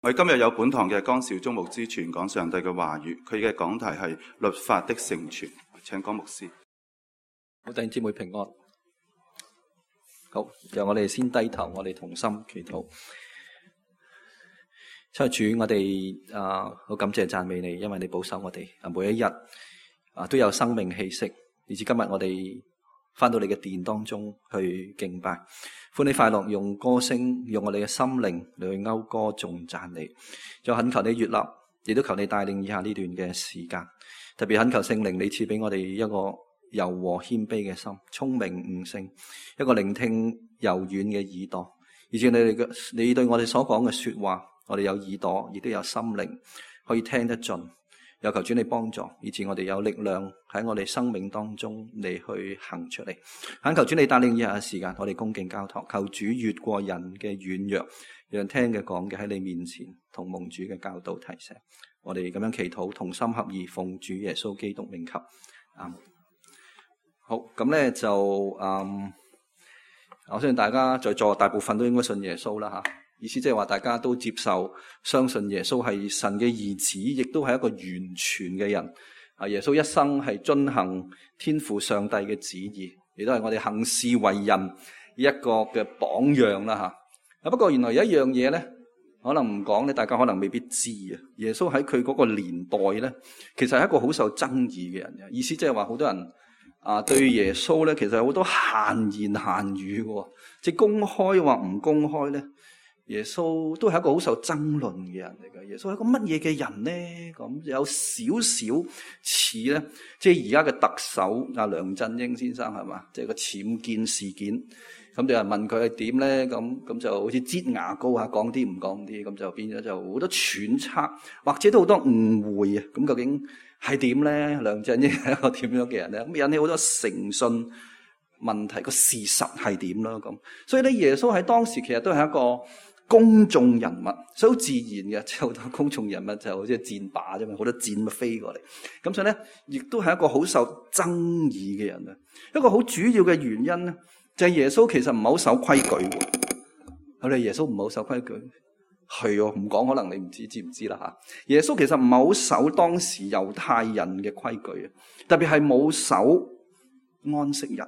我哋今日有本堂嘅江少忠牧師傳講上帝嘅話語，佢嘅講題係律法的成全。請江牧師。好，弟兄姊妹平安。好，讓我哋先低頭，我哋同心祈禱。親愛主，我哋好感謝讚美你，因為你保守我哋每一日都有生命氣息，以至今日我哋翻到你嘅殿當中去敬拜，歡喜快樂，用歌聲，用我哋嘅心靈嚟去謳歌頌讚你。就懇求你悅納，亦都求你帶領以下呢段嘅時間，特別懇求聖靈你賜俾我哋一個柔和謙卑嘅心，聰明悟性，一個聆聽柔軟嘅耳朵，以至你對我哋所講嘅說話，我哋有耳朵，亦都有心靈可以聽得盡。有求主你幫助，以致我哋有力量喺我哋生命當中嚟去行出嚟。懇求主你帶領以下嘅時間，我哋恭敬交託，求主越過人嘅軟弱，讓聽嘅講嘅喺你面前同蒙主嘅教導提醒。我哋咁樣祈禱，同心合意，奉主耶穌基督名求。好，咁咧就我相信大家在座大部分都應該信耶穌啦吓。意思即係話大家都接受相信耶穌係神嘅兒子，亦都係一個完全嘅人。耶穌一生係遵行天父上帝嘅旨意，亦都係我哋行事為人一個嘅榜樣啦吓。不過原來有一樣嘢咧，可能唔講咧，大家可能未必知啊。耶穌喺佢嗰個年代咧，其實係一個好受爭議嘅人嘅。意思即係話好多人對耶穌咧，其實有好多閒言閒語嘅，即係公開或唔公開咧。耶穌都係一個好受爭論嘅人嚟嘅。耶穌係一個乜嘢嘅人咧？咁有少少似咧，即係而家嘅特首梁振英先生係嘛？即係個僭建事件，咁就有人問佢係點咧？咁就好似擠牙膏啊，講啲唔講啲，咁就變咗就好多揣測，或者都好多誤會啊。咁究竟係點咧？梁振英係一個點樣嘅人咧？咁引起好多誠信問題，個事實係點啦？咁所以咧，耶穌喺當時其實都係一個公眾人物，所以好自然嘅，即係好多公眾人物就好似箭靶啫嘛，好多箭咪飛過嚟。咁所以咧，亦都係一個好受爭議嘅人啊。一個好主要嘅原因咧，就係耶穌其實唔係好守規矩。我哋耶穌唔係好守規矩，係唔講可能你唔知唔知啦吓。耶穌其實唔係好守當時猶太人嘅規矩啊，特別係冇守安息日。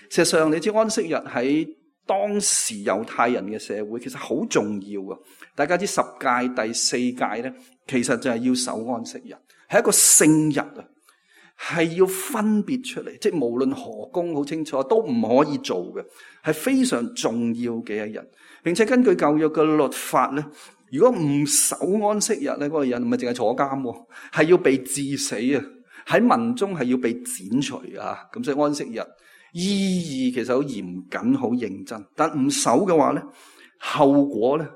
事實上，你知安息日喺當時猶太人嘅社會其實好重要啊！大家知十誡第四誡咧，其實就係要守安息日，係一個聖日啊，係要分別出嚟，即係無論何工好清楚都唔可以做嘅，係非常重要嘅一日。並且根據舊約嘅律法咧，如果唔守安息日咧，嗰個人唔係淨係坐監，係要被治死啊！喺民中係要被剪除啊！咁所以安息日意義其實好嚴謹、好認真，但唔守嘅話咧，後果咧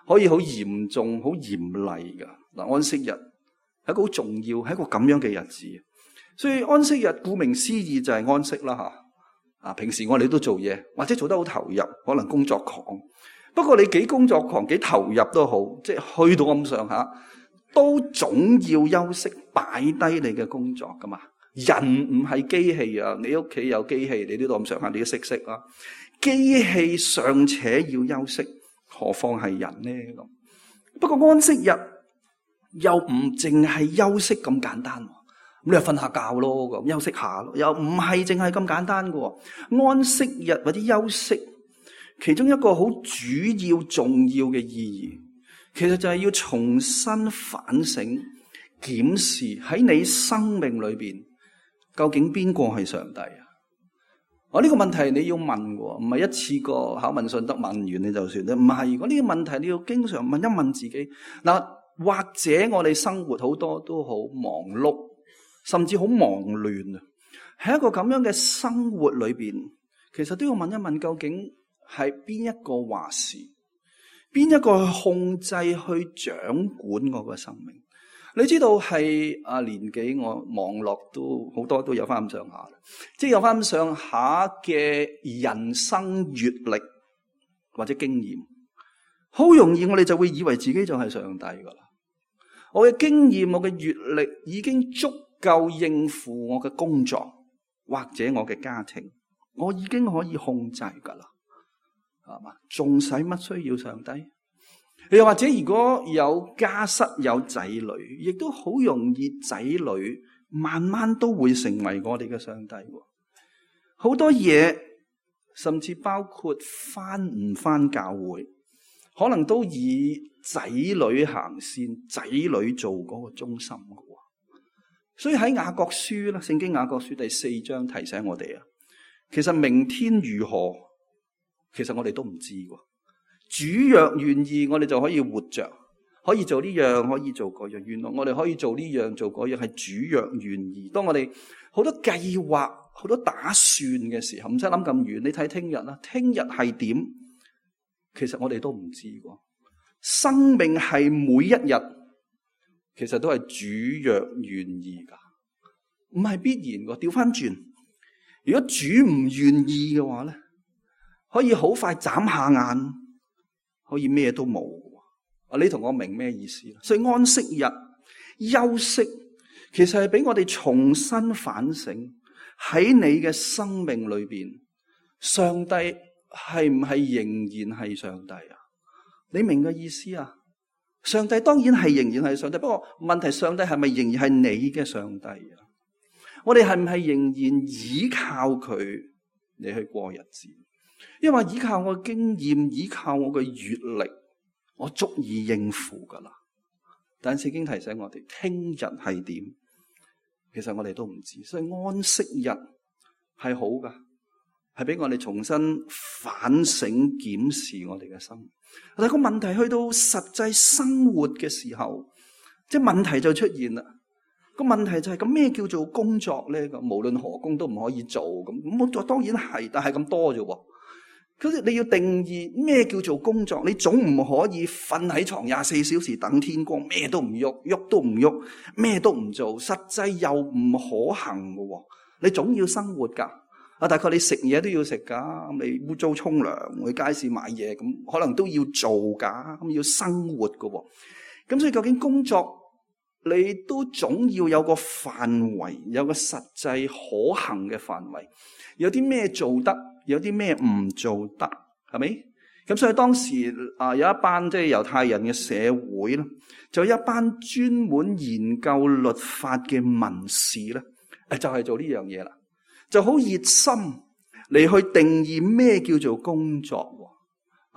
可以好嚴重、好嚴厲噶。嗱，安息日係一個好重要，係一個咁樣嘅日子，所以安息日顧名思義就係安息啦吓。平時我哋都做嘢，或者做得好投入，可能工作狂。不過你幾工作狂、幾投入都好，即係去到咁上下，都總要休息，擺低你嘅工作噶嘛。人唔係機器啊！你屋企有機器，你都咁上下，你都識啊。機器尚且要休息，何況係人呢？咁不過安息日又唔淨係休息咁簡單，咁你就瞓下覺咯，咁休息下咯，又唔係淨係咁簡單嘅。安息日或者休息，其中一個好主要重要嘅意義，其實就係要重新反省、檢視喺你生命裏邊。究竟邊個係上帝啊？呢個問題你要問嘅，唔係一次過考問信得問完你就算咧。唔係，如果呢個問題你要經常問一問自己。嗱，或者我哋生活好多都好忙碌，甚至好忙亂啊。喺一個咁樣嘅生活裏邊，其實都要問一問，究竟係邊一個話事，邊一個去控制、去掌管我個生命？你知道係年紀我網絡都好多都有翻咁上下，即係有翻咁上下嘅人生閱歷或者經驗，好容易我哋就會以為自己就係上帝噶啦。我嘅經驗、我嘅閱歷已經足夠應付我嘅工作或者我嘅家庭，我已經可以控制噶啦，係嘛？仲使乜需要上帝？又或者如果有家室有仔女，亦都好容易仔女慢慢都會成為我哋嘅上帝。好多嘢，甚至包括返唔返教會，可能都以仔女行先，仔女做嗰個中心嘅。所以喺雅各書啦，聖經雅各書第4章提醒我哋啊，其實明天如何，其實我哋都唔知喎。主若願意，我哋就可以活着，可以做呢樣，可以做嗰樣。原來我哋可以做呢樣做嗰樣，係主若願意。當我哋好多計劃、好多打算嘅時候，唔使諗咁遠。你睇聽日啦，聽日係點？其實我哋都唔知喎。生命係每一日，其實都係主若願意噶，唔係必然嘅。調翻轉，如果主唔願意嘅話咧，可以好快眨下眼，可以咩都冇。啊，你同我明咩意思？所以安息日休息，其實係俾我哋重新反省喺你嘅生命裏邊，上帝係唔係仍然係上帝啊？你明嘅意思啊？上帝當然係仍然係上帝，不過問題，上帝係咪仍然係你嘅上帝啊？我哋係唔係仍然依靠佢嚟去過日子？因為依靠我嘅經驗，依靠我嘅閱歷，我足以應付噶啦。但聖經提醒我哋，聽日係點？其實我哋都唔知，所以安息日係好噶，係俾我哋重新反省檢視我哋嘅生活。但係個問題去到實際生活嘅時候，即係問題就出現啦。個問題就係咁，咩叫做工作咧？咁無論何工都唔可以做咁，工作當然係，但係咁多啫。咁你要定義咩叫做工作？你總唔可以瞓喺床24小時等天光，咩都唔喐，喐都唔喐，咩都唔做，實際又唔可行嘅。你總要生活噶。啊，大概你食嘢都要食噶，你污糟沖涼，去街市買嘢，咁可能都要做噶，咁要生活噶。咁所以究竟工作你都總要有個範圍，有個實際可行嘅範圍，有啲咩做得，有啲咩唔做得，係咪？咁所以當時有一班即係猶太人嘅社會啦，就有一班專門研究律法嘅文士咧，就係做呢樣嘢啦。就好熱心嚟去定義咩叫做工作，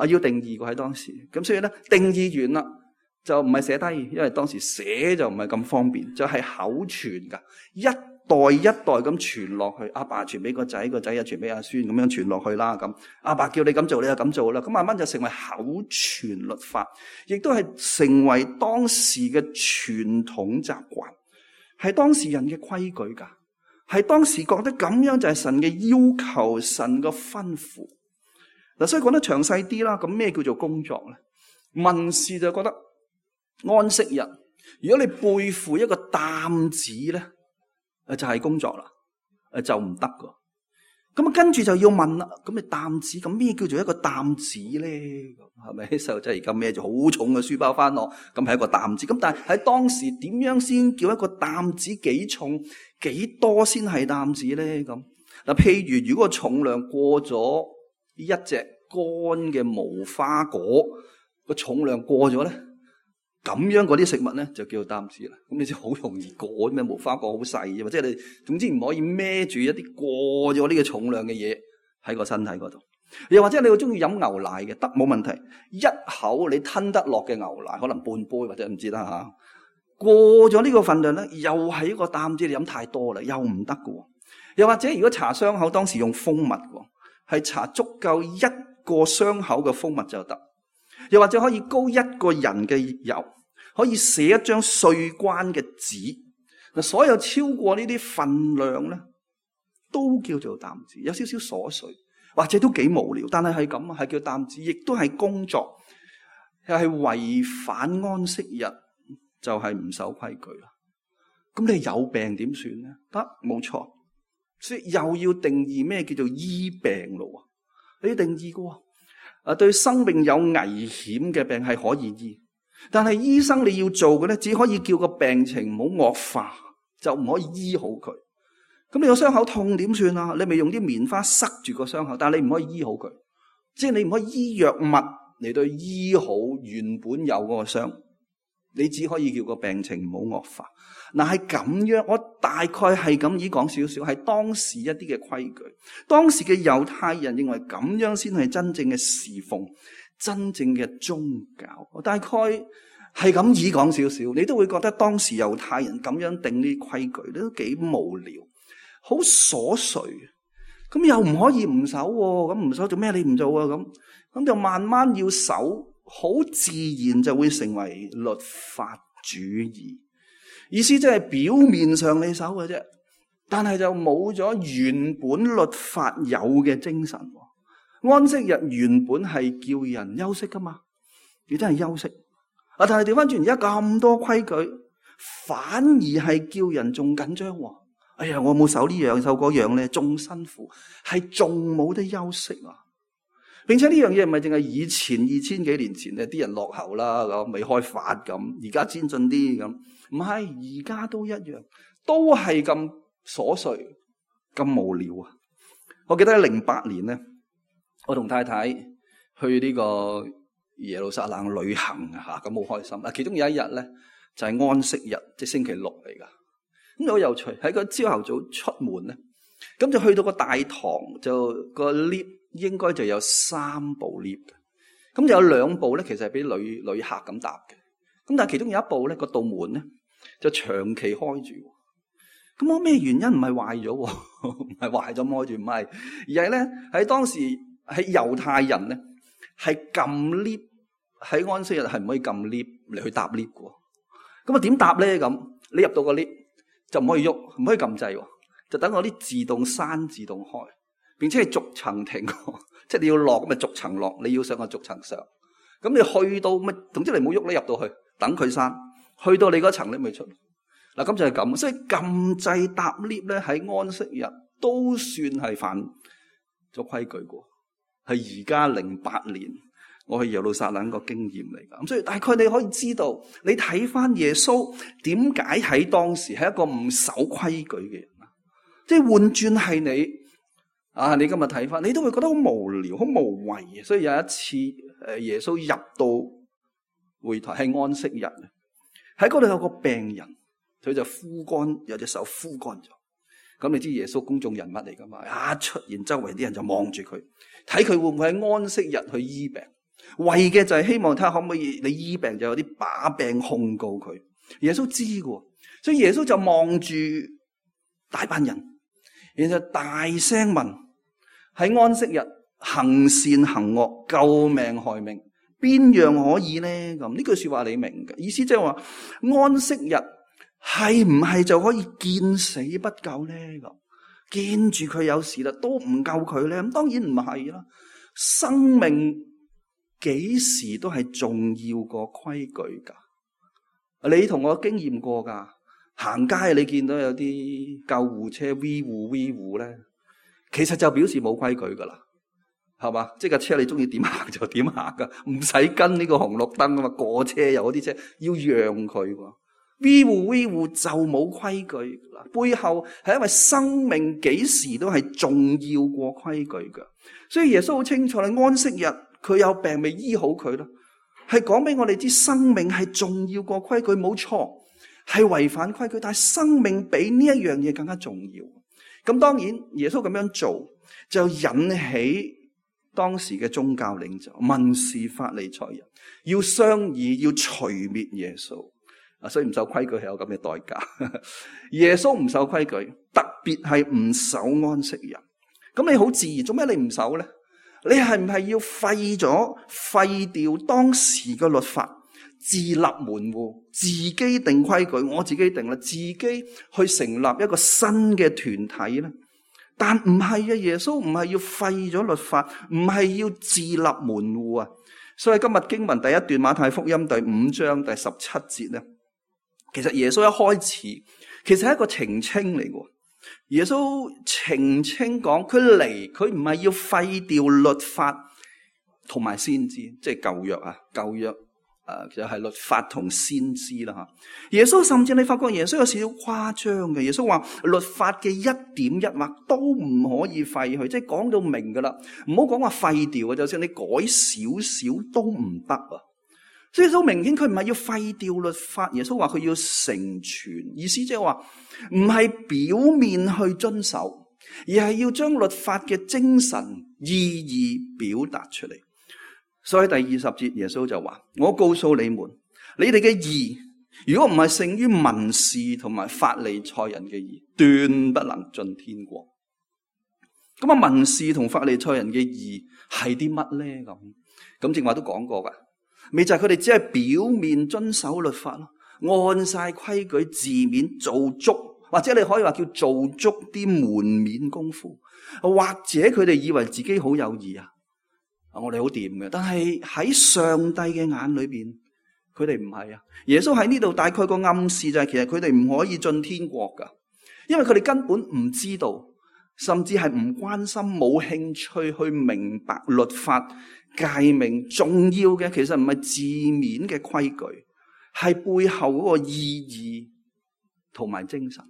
要定義過喺當時。咁所以咧，定義完啦，就唔係寫低，因為當時寫就唔係咁方便，就係口傳噶，一代一代咁傳落去。阿爸傳俾個仔，個仔又傳俾阿孫，咁樣傳落去啦。咁阿爸叫你咁做，你就咁做啦。咁慢慢就成為口傳律法，亦都係成為當時嘅傳統習慣，係當時人嘅規矩噶。係當時覺得咁樣就係神嘅要求，神嘅吩咐。嗱，所以講得詳細啲啦。咁咩叫做工作咧？文士就覺得安息日，如果你背負一個擔子咧，就係工作啦，就唔得噶。咁啊，跟住就要問啦。咁你擔子，咁咩叫做一個擔子咧？係咪細路仔而家孭住好重嘅書包翻學，咁係一個擔子。咁但係喺當時點樣先叫一個擔子幾重？幾多先係擔子咧？咁嗱，譬如如果個重量過咗一隻乾嘅無花果，個重量過咗咧，咁樣嗰啲食物咧就叫做擔子啦。咁你知好容易過咩？無花果好細嘅，或者你總之唔可以孭住一啲過咗呢個重量嘅嘢喺個身體嗰度。又或者你好中意飲牛奶嘅，得冇問題，一口你吞得落嘅牛奶，可能半杯或者唔知啦吓。過咗呢個份量咧，又係一個擔子，你飲太多啦，又唔得㗎。又或者如果搽傷口，當時用蜂蜜喎，係搽足夠一個傷口嘅蜂蜜就得。又或者可以膏一個人嘅油，可以寫一張稅關嘅紙。嗱，所有超過呢啲份量咧，都叫做擔子，有少少瑣碎，或者都幾無聊，但係咁啊，係叫擔子，亦都係工作，又係違反安息日。就係唔守規矩啦。咁你有病點算咧？得，冇錯。所以又要定義咩叫做醫病咯？你要定義嘅。對生命有危險嘅病係可以醫，但係醫生你要做嘅咧，只可以叫個病情唔好惡化，就唔可以醫好佢。咁你個傷口痛點算啊？你咪用啲棉花塞住個傷口，但係你唔可以醫好佢，即係你唔可以醫藥物嚟到醫好原本有嗰個傷，你只可以叫個病情唔好惡化。嗱，係咁樣，我大概係咁意講少少，係當時一啲嘅規矩。當時嘅猶太人認為咁樣先係真正嘅侍奉，真正嘅宗教。我大概係咁意講少少，你都會覺得當時猶太人咁樣定呢啲規矩都幾無聊，好瑣碎。咁又唔可以唔守喎，咁唔守做咩？你唔做啊？咁就慢慢要守，好自然就會成為律法主義。意思即係表面上你守嘅啫，但係就冇咗原本律法有嘅精神。安息日原本係叫人休息噶嘛，你真係休息。但係調翻轉而家咁多規矩，反而係叫人仲緊張。哎呀，我冇守呢樣守嗰樣咧，仲辛苦，係仲冇得休息啊！並且呢樣嘢唔係淨係以前2000幾年前咧，啲人落後啦，咁未開發咁，而家先進啲咁。唔係，而家都一樣，都係咁瑣碎、咁無聊啊！我記得喺08年咧，我同太太去呢個耶路撒冷旅行啊，咁好開心啊！其中有一日咧就係安息日，即係星期六嚟噶。咁好有趣，喺個朝頭早出門咧，咁就去到個大堂，就個 lift 應該就有3部 lift 嘅，咁就有2部咧，其實係俾旅客咁搭嘅。咁但係其中有一部咧，個道門咧就長期開住。咁我咩原因？唔係壞咗，唔係壞咗開住，唔係，而係咧喺當時喺猶太人咧係撳 lift，喺安息日係唔可以撳 lift 嚟去搭 lift 嘅。咁啊點搭咧？咁你入到個 lift 就唔可以喐，唔可以撳掣，就等嗰啲自動閂、自動開，並且係逐層停，即係你要落咁咪逐層落，你要上個逐層上。咁你去到乜？總之你唔好喐咧，入到去等佢閂，去到你嗰層你咪出。嗱，咁就係咁，所以撳掣搭 lift 咧喺安息日都算係犯咗規矩過，係而家08年我去耶路撒冷個經驗嚟噶。咁所以大概你可以知道，你睇翻耶穌點解喺當時係一個唔守規矩嘅人啊？即係換轉係你啊，你今日睇翻，你都會覺得好無聊、好無謂。所以有一次，耶穌入到會台係安息日，喺嗰度有個病人。佢就枯乾，有隻手枯乾咗。咁你知耶穌公眾人物嚟噶嘛？一出現，周圍啲人就望住佢，睇佢會唔會喺安息日去醫病，為嘅就係希望睇下可唔可以你醫病就有啲把柄控告佢。耶穌知嘅，所以耶穌就望住大班人，然後大聲問：喺安息日行善行惡、救命害命，邊樣可以咧？咁呢句說話你明嘅意思，即係話安息日。係唔係就可以見死不救咧？咁見住佢有事啦，都唔救佢咧？咁當然唔係啦。生命幾時都係重要過規矩噶。你同我經驗過噶，行街你見到有啲救護車 V 護咧，其實就表示冇規矩噶啦，係嘛？即係架車你中意點行就點行噶，唔使跟呢個紅綠燈噶嘛。過車有啲車要讓佢喎。V 護就冇規矩，背後係因為生命幾時都係重要過規矩噶。所以耶穌好清楚，你安息日佢有病未醫好佢咯，係講俾我哋知生命係重要過規矩，冇錯，係違反規矩，但係生命比呢一樣嘢更加重要。咁當然耶穌咁樣做就引起當時嘅宗教領袖、文士、法利賽人要商議，要除滅耶穌。所以唔守規矩係有咁嘅代價。耶穌唔守規矩，特別係唔守安息日。咁你好自然，做咩你唔守咧？你係唔係要廢掉當時嘅律法，自立門戶，自己定規矩？我自己定啦，自己去成立一個新嘅團體咧？但唔係啊，耶穌唔係要廢咗律法，唔係要自立門戶啊。所以今日經文第一段馬太福音第5章第17節咧。其實耶穌一開始其實係一個澄清嚟嘅。耶穌澄清講佢嚟，佢唔係要廢掉律法同埋先知，即係舊約啊。舊約就係律法同先知啦吓。耶穌甚至你發覺耶穌有少少誇張嘅，耶穌話律法嘅一點一畫都唔可以廢去，即係講到明噶啦，唔好講話廢掉啊，就算你改少少都唔得啊。所以好明顯佢唔係要廢掉律法，耶穌話佢要成全，意思即係話唔係表面去遵守，而係要將律法嘅精神意義表達出嚟。所以第20節耶穌就話：我告訴你們，你哋嘅義如果唔係勝於文士同埋法利賽人嘅義，斷不能進天國。咁啊，文士同法利賽人嘅義係啲乜咧？咁正話都講過噶，咪就係佢哋只係表面遵守律法咯，按晒規矩字面做足，或者你可以話叫做足啲門面功夫，或者佢哋以為自己好有義啊。我哋好掂嘅，但係喺上帝嘅眼裏邊，佢哋唔係啊。耶穌喺呢度大概個暗示就係，其實佢哋唔可以進天國噶，因為佢哋根本唔知道，甚至係唔關心、冇興趣去明白律法誡命。重要嘅其實唔係字面嘅規矩，係背後嗰個意義同埋精神。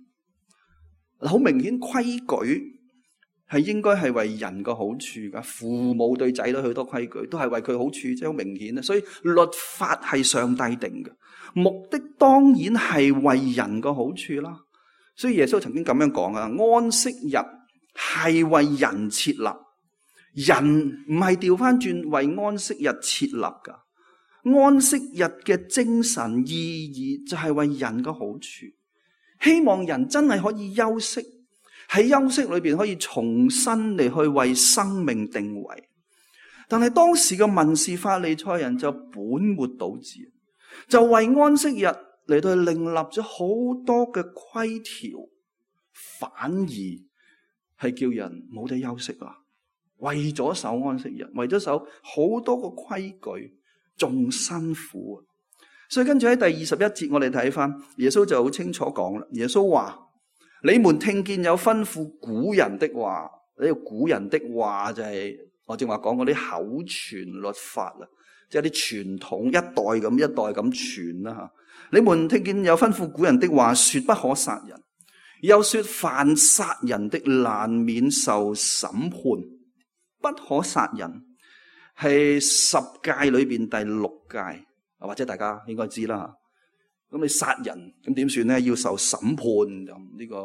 好明顯，規矩係應該係為人個好處噶，父母對仔女許多規矩都係為佢好處，即係好明顯啦。所以律法係上帝定嘅，目的當然係為人個好處啦。所以耶穌曾經咁樣講啊，安息日係為人設立，人唔係調翻轉為安息日設立噶。安息日嘅精神意義就係為人個好處，希望人真係可以休息。喺休息裏邊可以重新嚟去為生命定位，但係當時嘅文士法利賽人就本末倒置，就為安息日嚟到另立咗好多嘅規條，反而係叫人冇得休息啊！為咗守安息日，為咗守好多個規矩，仲辛苦啊！所以跟住喺第21節，我哋睇翻耶穌就好清楚講啦。耶穌話：你們聽見有吩咐古人的話，呢個古人的話就係我正話講嗰啲口傳律法啦，即係啲傳統一代咁一代咁傳啦吓。你們聽見有吩咐古人的話，說不可殺人，又說凡殺人的難免受審判。不可殺人係10誡裏邊第6誡，或者大家應該知啦。咁你殺人咁點算咧？要受審判，咁呢個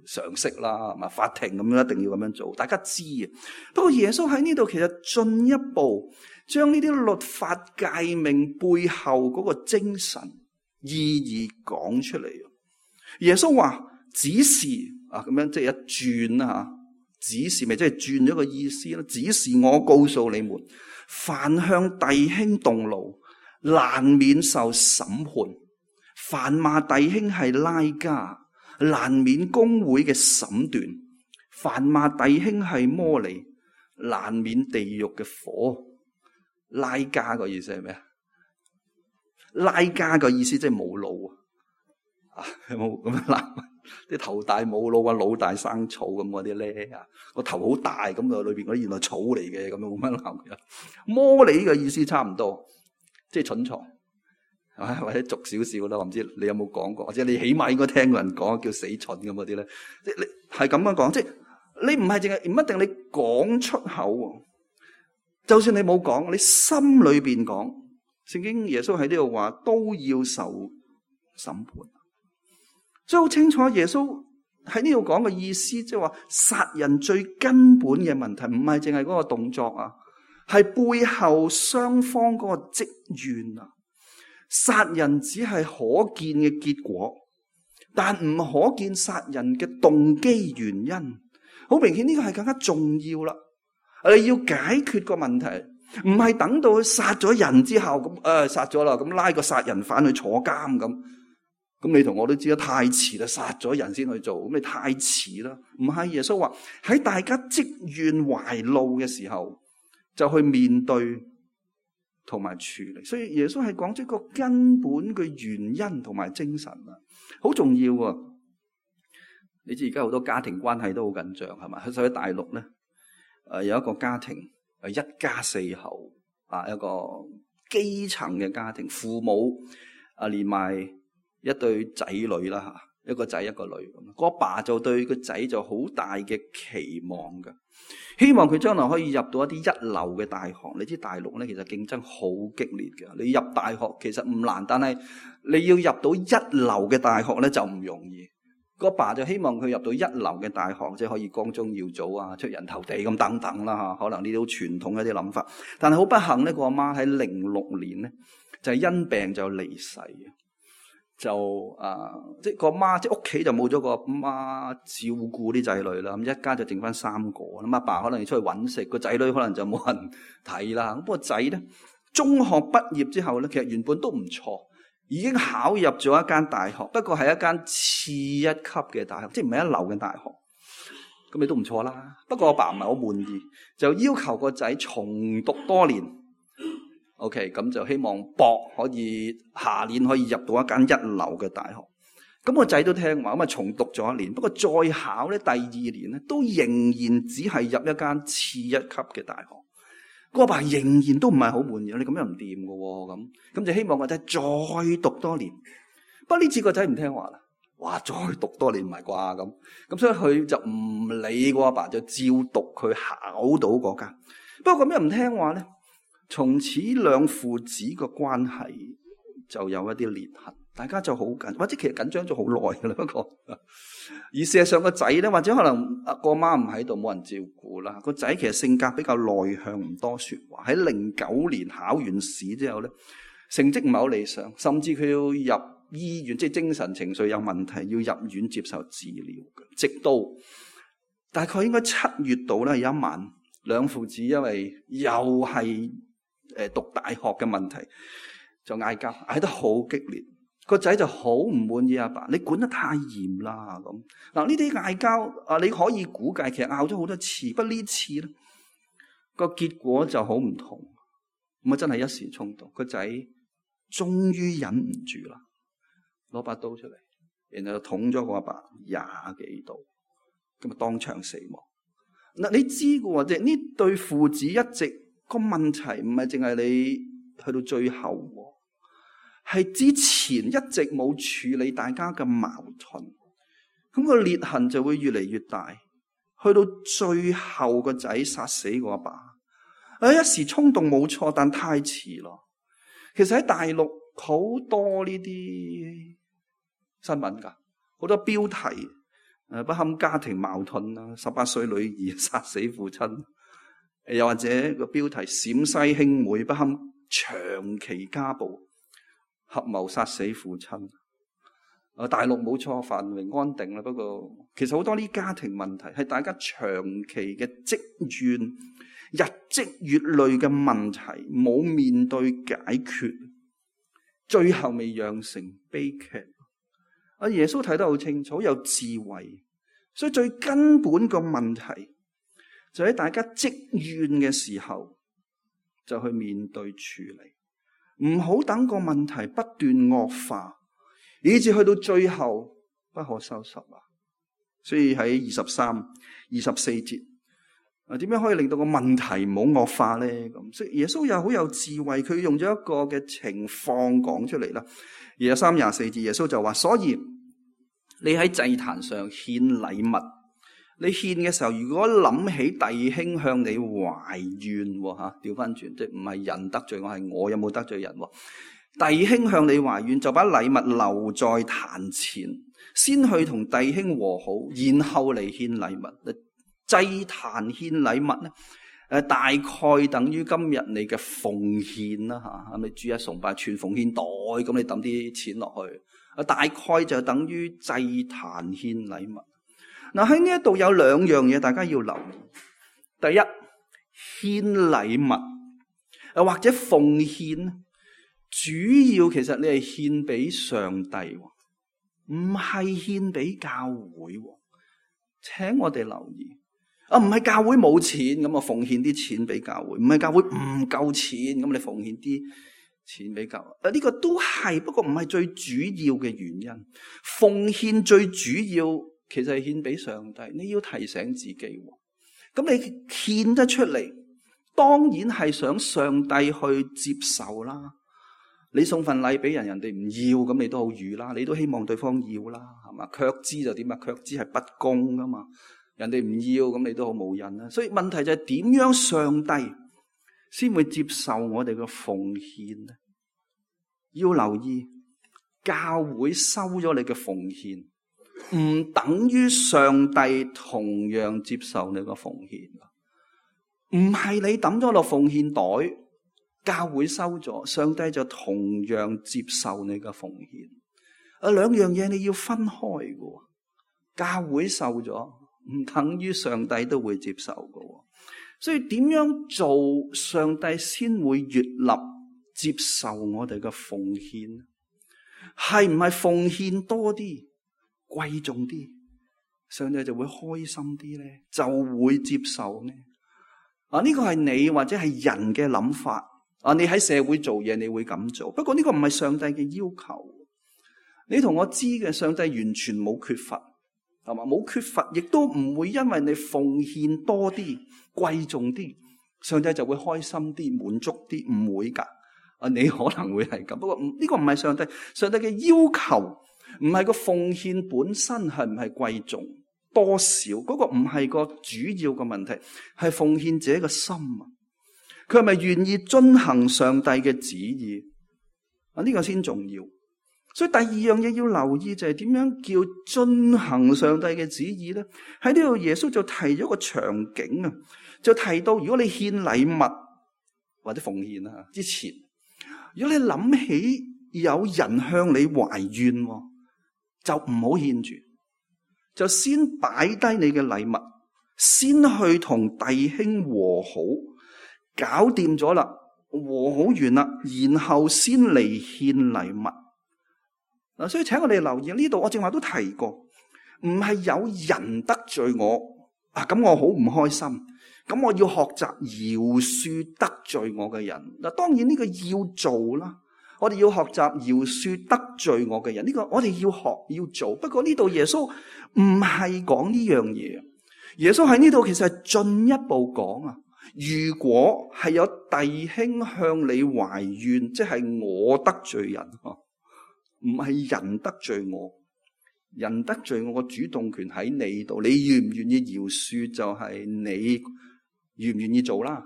常識啦，係嘛？法庭咁樣一定要咁樣做，大家知嘅。不過耶穌喺呢度其實進一步將呢啲律法誡命背後嗰個精神意義講出嚟。耶穌話指示啊，咁樣即係一轉啦吓，指示咪即係轉咗個意思啦。指示我告訴你們，凡向弟兄動怒，難免受審判。凡罵弟兄係拉加，難免公會嘅審斷；凡罵弟兄係魔利，難免地獄嘅火。拉加個意思係咩啊？拉加個意思即係冇腦啊！有冇咁樣諗？啲頭大冇腦啊，腦大生草咁嗰啲咧啊，個頭好大咁啊，裏邊嗰啲原來草嚟嘅，咁樣冇乜諗嘅。魔利嘅意思差唔多，即係蠢材。或者俗少少啦，我唔知你有冇講過，或者你起碼應該聽過人講叫死蠢咁嗰啲咧，即係你係咁樣講，即係你唔係淨係唔一定你講出口，就算你冇講，你心裏邊講，聖經耶穌喺呢度話都要受審判，所以好清楚耶穌喺呢度講嘅意思，即係話殺人最根本嘅問題唔係淨係嗰個動作啊，係背後雙方嗰個積怨啊。殺人只係可見嘅結果，但唔可見殺人嘅動機原因。好明顯呢個係更加重要啦。你要解決個問題，唔係等到佢殺咗人之後咁，殺咗啦，咁拉個殺人犯去坐監咁。咁你同我都知得太遲啦，殺咗人先去做，咁你太遲啦。唔係，耶穌話喺大家積怨懷怒嘅時候，就去面對同埋處理，所以耶穌係講出個根本嘅原因同埋精神啊，好重要啊！你知而家好多家庭關係都好緊張，係嘛？所以喺大陸咧，有一個家庭，一家4口啊，一個基層嘅家庭，父母連埋一對仔女啦吓，一個仔一個女咁。個阿爸就對個仔就好大嘅期望嘅，希望佢將來可以入到一啲一流嘅大學。你知大陸咧其實競爭好激烈嘅，你入大學其實唔難，但係你要入到一流嘅大學咧就唔容易。個爸就希望佢入到一流嘅大學，即係可以光宗耀祖啊，出人頭地咁等等啦吓。可能呢啲好傳統嘅一啲諗法，但係好不幸咧，個阿媽喺06年咧就係因病就離世嘅，就即係個媽即係屋企就冇咗個媽照顧啲仔女啦，咁一家就剩翻3個。咁阿爸可能要出去揾食，個仔女可能就冇人睇啦。咁個仔咧中學畢業之後咧，其實原本都唔錯。已經考入咗一間大學，不過係一間次一級嘅大學，即係唔係一流嘅大學。咁你都唔錯啦。不過我爸唔係好滿意，就要求個仔重讀多年。OK， 咁就希望博可以下年可以入到一間一流嘅大學。咁個仔都聽話，咁啊重讀咗1年。不過再考咧，第2年咧都仍然只係入一間次一級嘅大學。個阿爸仍然都唔係好滿意，你咁樣唔掂㗎喎，咁就希望個仔再讀多年。不過呢次個仔唔聽話啦，哇！再讀多年唔係啩咁所以佢就唔理個阿爸，就照讀佢考到嗰間。不過咁樣唔聽話咧，從此兩父子個關係就有一啲裂痕，大家就好緊，或者其實緊張咗好耐㗎啦。不過而事實上個仔咧，或者可能個媽唔喺度，冇人照顧啦。個仔其實性格比較內向，唔多說話。喺09年考完試之後咧，成績唔係好理想，甚至佢要入醫院，即係精神情緒有問題，要入院接受治療嘅。直到大概應該7月度咧，有一晚，兩父子因為又係讀大學嘅問題，就嗌交，嗌得好激烈。個仔就好唔滿意阿爸，你管得太嚴啦咁。嗱，呢啲嗌交你可以估計，其實拗咗好多次，不過呢次咧個結果就好唔同。咁啊真係一時衝動，個仔終於忍唔住啦，攞把刀出嚟，然後就捅咗個阿爸20幾刀，咁啊當場死亡。嗱，你知嘅喎，即係呢對父子一直個問題唔係淨係你去到最後喎，係之前一直冇處理大家嘅矛盾，咁個裂痕就會越嚟越大，去到最後個仔殺死個阿爸，一時衝動冇錯，但太遲咯。其實喺大陸好多呢啲新聞㗎，好多標題不堪家庭矛盾啦，18歲女兒殺死父親，又或者個標題陝西兄妹不堪長期家暴，合謀殺死父親。大陸冇錯，繁榮安定啦。不過其實好多呢家庭問題係大家長期嘅積怨，日積月累嘅問題，冇面對解決，最後未釀成悲劇。耶穌睇得好清楚，有智慧，所以最根本個問題就喺大家積怨嘅時候就去面對處理，唔好等個問題不斷惡化，以至去到最後不可收拾啊！所以喺23、24節點樣可以令到個問題唔好惡化咧？咁所以耶穌又好有智慧，佢用咗一個嘅情況講出嚟啦。23、24節耶穌就話：所以你喺祭壇上獻禮物，你獻嘅時候，如果諗起弟兄向你懷怨吓，調翻轉，即係唔係人得罪我，係我有冇得罪人？弟兄向你懷怨，就把禮物留在壇前，先去同弟兄和好，然後嚟獻禮物。祭壇獻禮物咧，大概等於今日你嘅奉獻啦吓，你主日崇拜全奉獻袋，咁你抌啲錢落去，大概就等於祭壇獻禮物。嗱，喺呢一度有兩樣嘢大家要留意。第一，獻禮物或者奉獻，主要其實你係獻俾上帝，唔係獻俾教會。請我哋留意。唔係教會冇錢，咁我奉獻啲錢俾教會；唔係教會唔夠錢，咁你奉獻啲錢俾教會。呢個都係，不過唔係最主要嘅原因。奉獻最主要其實係獻俾上帝。你要提醒自己，咁你獻得出嚟，當然係想上帝去接受啦。你送份禮俾人，人哋唔要，咁你都好瘀啦，你都希望對方要啦，係嘛？卻之就點啊？卻之係不公噶嘛，人哋唔要，咁你都好冇癮啦。所以問題就係點樣上帝先會接受我哋嘅奉獻呢？要留意，教會收咗你嘅奉獻，唔等於上帝同樣接受你嘅奉獻。唔係你抌咗落奉獻袋，教會收咗，上帝就同樣接受你嘅奉獻。兩樣嘢你要分開嘅。教會受咗，唔等於上帝都會接受嘅。所以點樣做，上帝先會悅納接受我哋嘅奉獻？係唔係奉獻多啲、貴重啲，上帝就會開心啲咧？就會接受呢？呢個係你或者係人嘅諗法。你喺社會做嘢，你會咁做。不過呢個唔係上帝嘅要求。你同我知嘅，上帝完全冇缺乏，係嘛？冇缺乏，亦都唔會因為你奉獻多啲、貴重啲，上帝就會開心啲、滿足啲，唔會噶。你可能會係咁，不過呢個唔係上帝。上帝嘅要求唔係個奉獻本身係唔係貴重多少，嗰個唔係個主要嘅問題，係奉獻者嘅心啊。佢係咪願意遵行上帝嘅旨意？呢個先重要。所以第二樣嘢要留意就係點樣叫遵行上帝嘅旨意咧？喺呢度耶穌就提咗個場景啊，就提到如果你獻禮物或者奉獻啊之前，如果你諗起有人向你懷怨，就唔好獻住，就先擺低你嘅禮物，先去同弟兄和好。搞掂咗啦，和好完啦，然後先嚟獻禮物。所以請我哋留意呢度，我正話都提過，唔係有人得罪我咁我好唔開心，咁我要學習饒恕得罪我嘅人。當然呢個要做啦，我哋要學習饒恕得罪我嘅人，呢個我哋要學要做。不過呢度耶穌唔係講呢樣嘢，耶穌喺呢度其實係進一步講啊。如果係有弟兄向你懷怨，即係我得罪人，唔係人得罪我。人得罪我個主動權喺你度，你願唔願意饒恕就係你願唔願意做啦。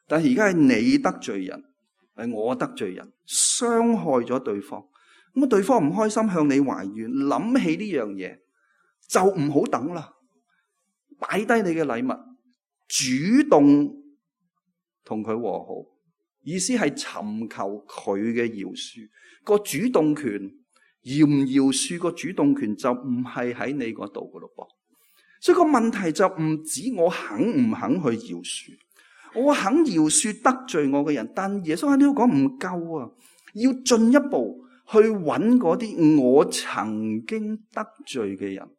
但係而家係你得罪人，係我得罪人，傷害咗對方。咁對方唔開心向你懷怨，諗起呢樣嘢就唔好等啦，擺低你嘅禮物，主動同佢和好，意思係尋求佢嘅饒恕。個主動權，饒唔饒恕個主動權就唔係喺你嗰度噶咯噃。所以個問題就唔止我肯唔肯去饒恕，我肯饒恕得罪我嘅人，但耶穌喺呢度講唔夠啊，要進一步去揾嗰啲我曾經得罪嘅人，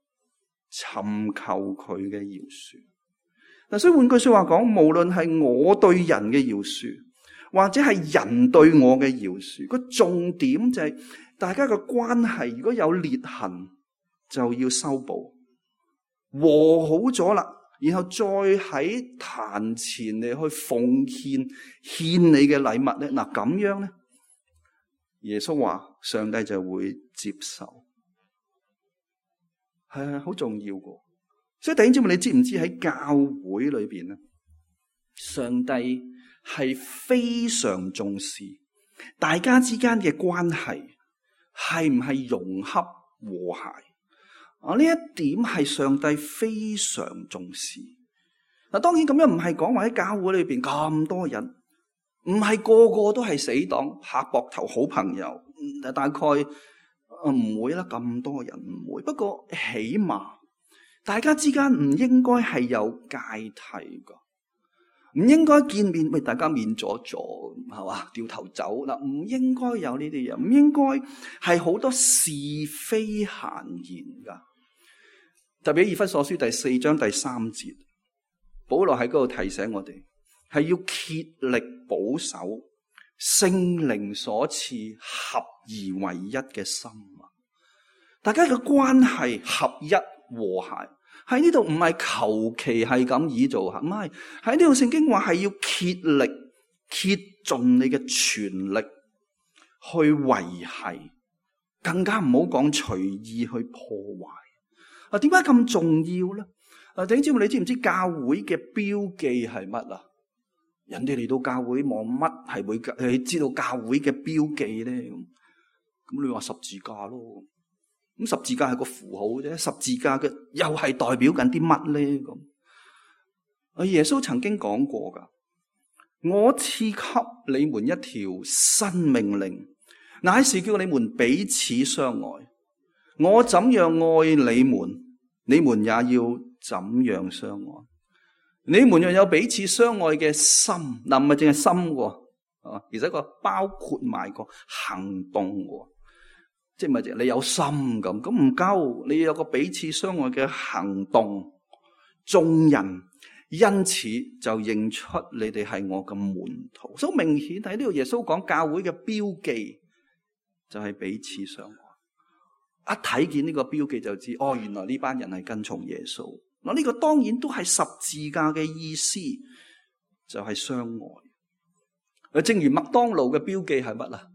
尋求佢嘅饒恕。所以換句說話講，無論係我對人嘅饒恕，或者係人對我嘅饒恕，個重點就係大家嘅關係如果有裂痕，就要修補，和好咗啦，然後再喺壇前嚟去奉獻你嘅禮物咧。嗱咁樣咧，耶穌話上帝就會接受，係好重要嘅。所以弟兄姊妹，你知唔知喺教會裏邊咧，上帝係非常重視大家之間嘅關係係唔係融洽和諧呢一點係上帝非常重視。當然咁樣唔係講話喺教會裏邊咁多人，唔係個個都係死黨拍膊頭好朋友，大概唔會啦，咁多人唔會。不過起碼大家之間唔應該係有芥蒂噶，唔應該見面大家面阻阻係嘛，掉頭走嗱，唔應該有呢啲嘢，唔應該係好多是非閒言噶。特別以弗所書第4章第3節，保羅喺嗰度提醒我哋，係要竭力保守聖靈所賜合而為一嘅心啊！大家嘅關係合一和諧，喺呢度唔係求其係咁意做吓，唔係，喺呢度聖經話係要竭力竭盡你嘅全力去維繫，更加唔好講隨意去破壞。啊，點解咁重要咧？啊，弟兄姊妹，你知唔知教會嘅標記係乜啊？人哋嚟到教會望乜係會知道教會嘅標記咧？咁你話十字架咯？咁十字架係個符號啫，十字架嘅又係代表緊啲乜咧？咁啊，耶穌曾經講過噶，我賜給你們一條新命令，乃是叫你們彼此相愛。我怎樣愛你們，你們也要怎樣相愛。你們若有彼此相愛嘅心，嗱唔係淨係心喎，啊，而且個包括埋個行動喎。即係咪你有心咁唔夠，你要有個彼此相愛嘅行動，眾人因此就認出你哋係我嘅門徒。所以明顯喺呢度耶穌講教會嘅標記就係彼此相愛。一睇見呢個標記就知，哦，原來呢班人係跟從耶穌。嗱，呢個當然都係十字架嘅意思，就係相愛。正如麥當勞嘅標記係乜啊？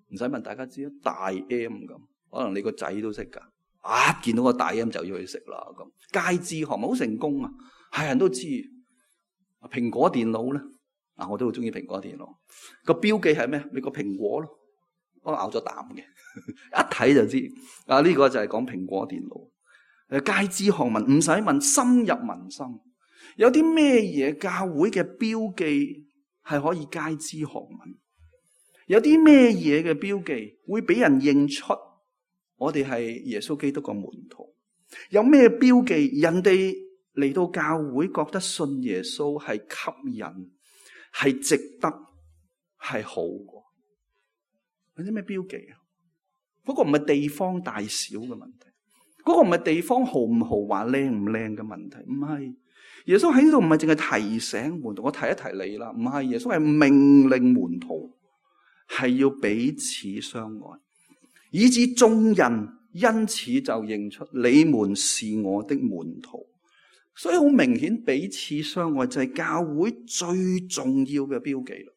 唔使問大家知啦，大 M 咁，可能你個仔都識噶。見到個大 M 就要去食啦咁。佳之行好成功啊，係人都知。蘋果電腦咧，我都好中意蘋果電腦。個標記係咩？你個蘋果咯，我咬咗啖嘅，一睇就知。呢個就係講蘋果電腦。佳之學問唔使問，深入民心。有啲咩嘢教會嘅標記係可以佳之學問？有啲咩嘢嘅標記會俾人認出我哋係耶穌基督個門徒？有咩標記人哋嚟到教會覺得信耶穌係吸引、係值得、係好嘅？有啲咩標記啊？嗰個唔係地方大小嘅問題，嗰個唔係地方豪唔豪華、靚唔靚嘅問題，唔係。耶穌喺呢度唔係淨係提醒門徒，我提一提你啦，唔係。耶穌係命令門徒係要彼此相愛，以致眾人因此就認出你們是我的門徒。所以好明顯，彼此相愛就係教會最重要嘅標記啦。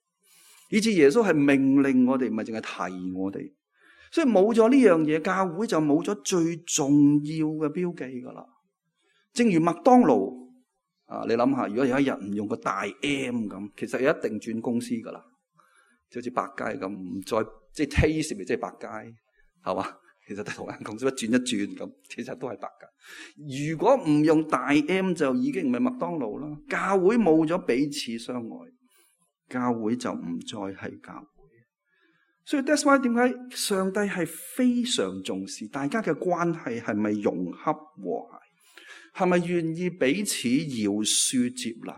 以致耶穌係命令我哋，唔係淨係提我哋。所以冇咗呢樣嘢，教會就冇咗最重要嘅標記噶啦。正如麥當勞你諗下，如果有一日唔用個大 M 咁，其實一定轉公司噶啦，就好似百佳咁，唔再即係 taste 咪即係百佳，係嘛？其實都同間公司一轉一轉咁，其實都係百佳。如果唔用大 M 就已經唔係麥當勞啦。教會冇咗彼此相愛，教會就唔再係教會。所以 that's why 點解上帝係非常重視大家嘅關係係咪融洽和諧，係咪願意彼此饒恕接納？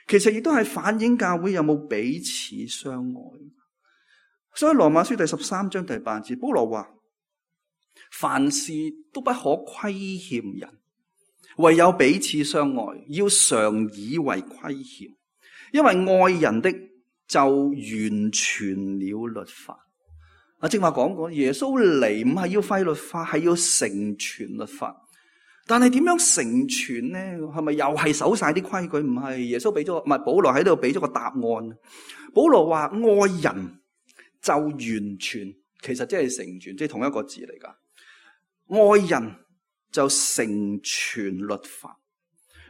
其實亦都係反映教會有冇彼此相愛。所以羅馬書第13章第8節，保羅話：凡事都不可虧欠人，唯有彼此相愛，要常以為虧欠，因為愛人的就完全了律法。正話講過，耶穌嚟唔係要廢律法，係要成全律法。但係點樣成全呢？係咪又係守晒啲規矩？唔係，耶穌俾咗，唔係保羅喺度俾咗個答案。保羅話愛人就完全，其實即係成全，即係同一個字嚟噶。愛人就成全律法。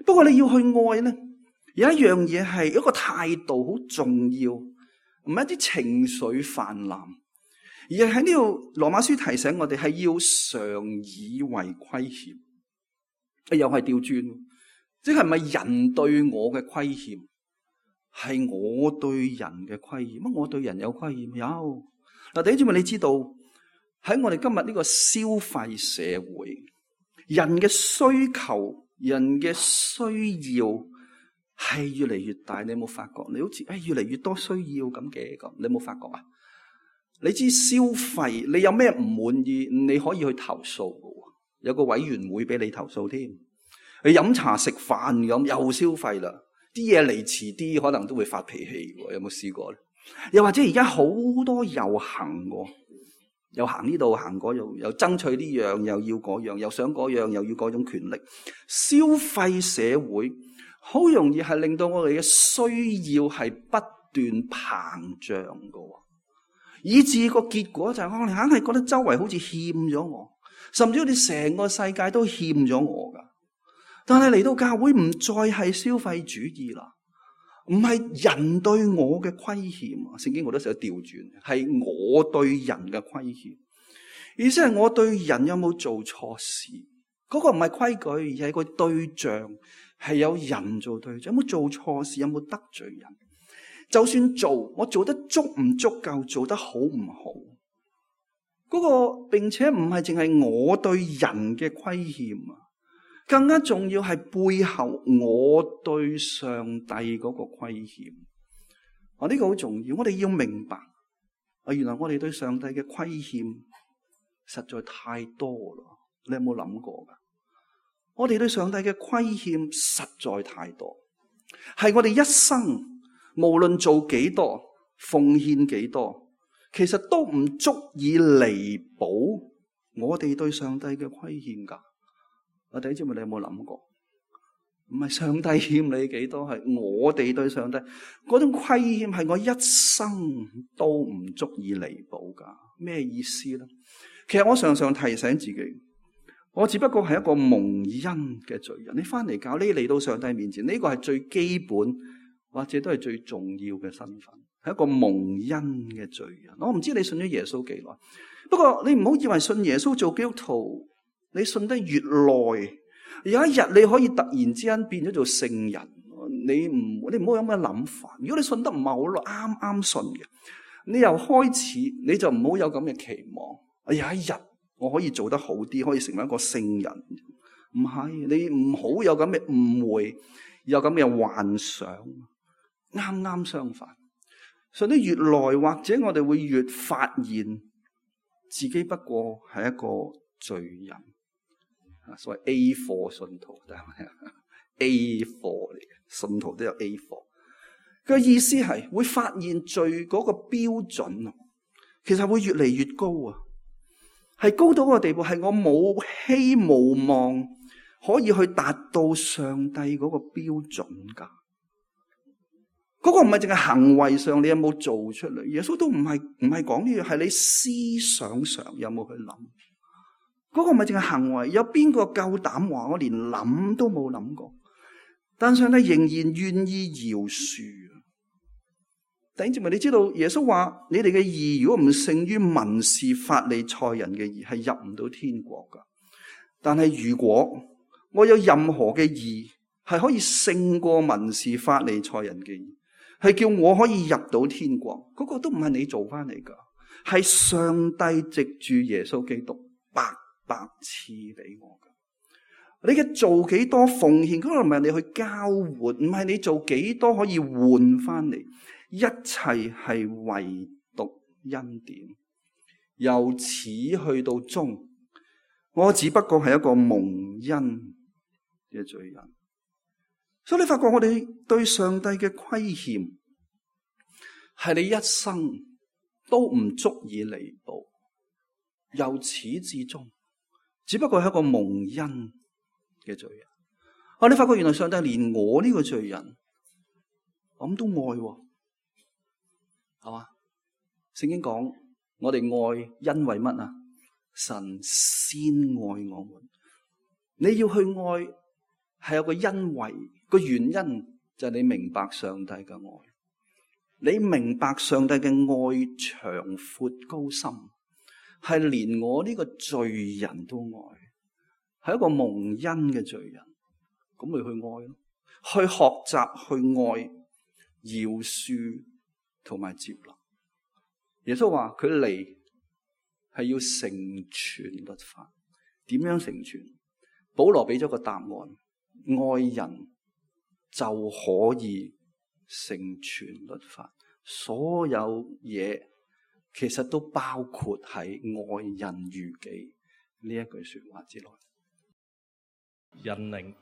不過你要去愛呢，有一樣嘢係一個態度好重要，唔係一啲情緒泛濫，而係喺呢度羅馬書提醒我哋係要常以為虧欠。又係調轉，即係咪人對我嘅虧欠，係我對人嘅虧欠？乜我對人有虧欠？有。嗱，弟兄姊妹，你知道喺我哋今日呢個消費社會，人嘅需求、人嘅需要係越嚟越大。你有冇發覺？你好似越嚟越多需要咁嘅咁，你有冇發覺啊？你知消費，你有咩唔滿意，你可以去投訴嘅。有個委員會俾你投訴添，你飲茶食飯咁又消費啦，啲嘢嚟遲啲可能都會發脾氣喎，有冇試過咧？又或者而家好多遊行喎，又行呢度行嗰度，又爭取呢樣又要嗰樣，又想嗰樣又要嗰種權力。消費社會好容易係令到我哋嘅需要係不斷膨脹嘅，以致個結果就係我哋硬係覺得周圍好似欠咗我，甚至好似成個世界都欠咗我噶。但係嚟到教會唔再係消費主義啦，唔係人對我嘅虧欠，聖經好多時候調轉，係我對人嘅虧欠。意思係我對人有冇做錯事？嗰個唔係規矩，而係個對象，係有人做對象。有冇做錯事？有冇得罪人？就算做，我做得足唔足夠？做得好唔好？嗰個並且唔係淨係我對人嘅虧欠啊！更加重要係背後我對上帝嗰個虧欠。呢個好重要，我哋要明白原來我哋對上帝嘅虧欠實在太多啦。你有冇諗過噶？我哋對上帝嘅虧欠實在太多，係我哋一生無論做幾多奉獻幾多，其實都唔足以彌補我哋對上帝嘅虧欠噶。弟兄姊妹，你有冇諗過？唔係上帝欠你幾多，係我哋對上帝嗰種虧欠，係我一生都唔足以彌補噶。咩意思咧？其實我常常提醒自己，我只不過係一個蒙恩嘅罪人。你翻嚟教，你嚟到上帝面前，呢個係最基本或者都係最重要嘅身份，係一個蒙恩嘅罪人。我唔知你信咗耶穌幾耐，不過你唔好以為信耶穌做基督徒，你信得越耐，有一日你可以突然之間變咗做聖人。你唔好有咁嘅諗法。如果你信得唔係好耐，啱啱信嘅，你由開始你就唔好有咁嘅期望。有一日我可以做得好啲，可以成為一個聖人。唔係，你唔好有咁嘅誤會，有咁嘅幻想。啱啱相反，信得越耐，或者我哋會越發現自己不過係一個罪人。所謂 A 貨信徒，A 貨嚟嘅，信徒都有 A 貨。佢嘅意思係會發現罪嗰個標準，其實會越嚟越高啊！係高到個地步，係我冇希無望可以去達到上帝嗰個標準噶。嗰個唔係淨係行為上你有冇做出嚟，耶穌都唔係講呢樣，係你思想上有冇去諗。嗰個唔係淨係行為，有邊個夠膽話我連諗都冇諗過？但上帝仍然願意饒恕。弟兄姊妹，你知道耶穌話你哋嘅義如果唔勝於文士法利賽人嘅義，係入唔到天國噶。但係如果我有任何嘅義係可以勝過文士法利賽人嘅義，係叫我可以入到天國，嗰個都唔係你做翻嚟噶，係上帝藉住耶穌基督白賜俾我噶。你嘅做幾多奉獻，嗰個唔係你去交換，唔係你做幾多可以換翻嚟，一切係唯獨恩典。由始去到終，我只不過係一個蒙恩嘅罪人。所以你發覺我哋對上帝嘅虧欠，係你一生都唔足以彌補，由始至終，只不過係一個蒙恩嘅罪人。你發覺原來上帝連我呢個罪人，咁都愛，係嘛？聖經講我哋愛，因為乜啊？神先愛我們。你要去愛，係有個因為，個原因就係你明白上帝嘅愛。你明白上帝嘅愛長闊高深，係連我呢個罪人都愛，係一個蒙恩嘅罪人，咁咪去愛咯，去學習去愛，饒恕同埋接納。耶穌話佢嚟係要成全律法。點樣成全？保羅俾咗個答案，愛人就可以成全律法。所有嘢其實都包括喺愛人如己呢一句說話之內。引領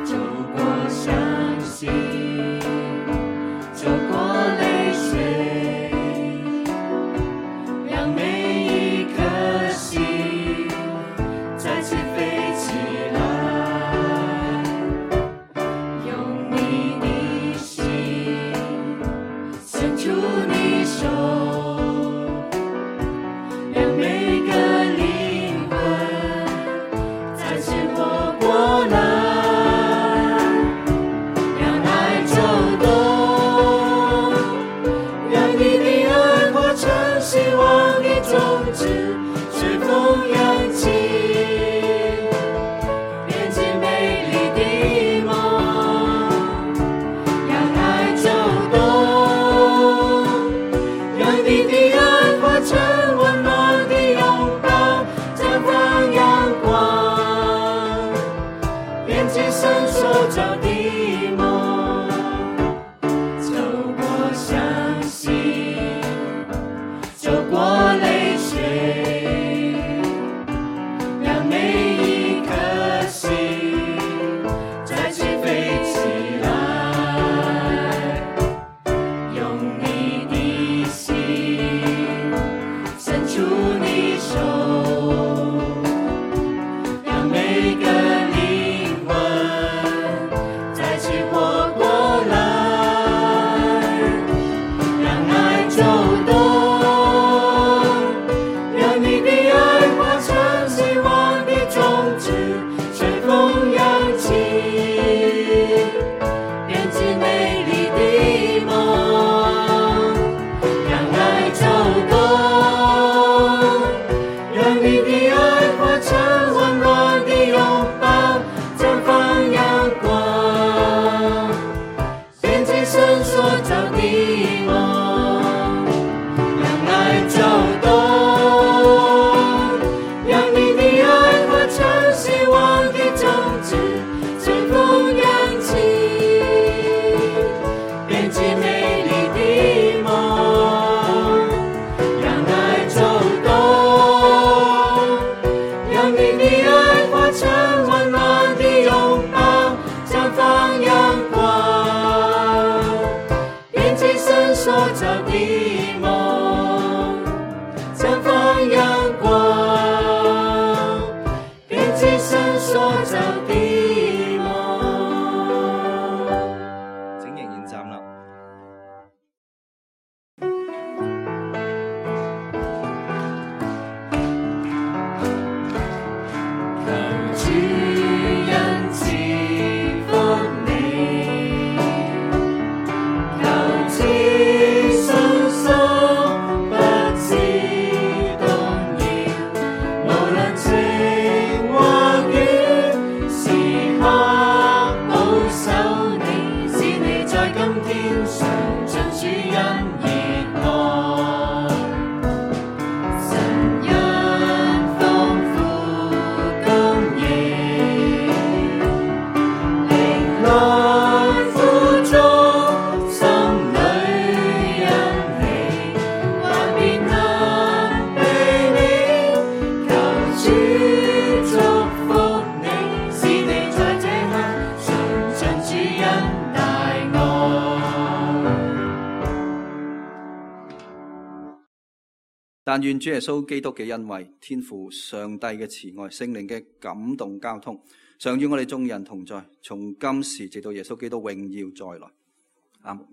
走過找的夢，讓愛走動，讓你的愛化成希望的種子，隨風揚起，編織美麗的夢，讓愛走動，讓你的愛化成溫暖的擁抱，綻放陽光，編織神所造的夢，綻放陽光，編織神所造的夢。請仍然站立。求主恩賜福你，求知信心不致動搖，無論晴或雨，時刻保守你，使你在今天常盡主恩熱愛。神恩豐富供應，靈內富足，心裏欣喜，萬變能避免。求主祝福你，使你在這刻嘗盡主恩大愛。但願主耶穌基督嘅恩惠、天父上帝嘅慈愛、聖靈嘅感動交通，常與我哋眾人同在，從今時直到耶穌基督榮耀再來。阿門。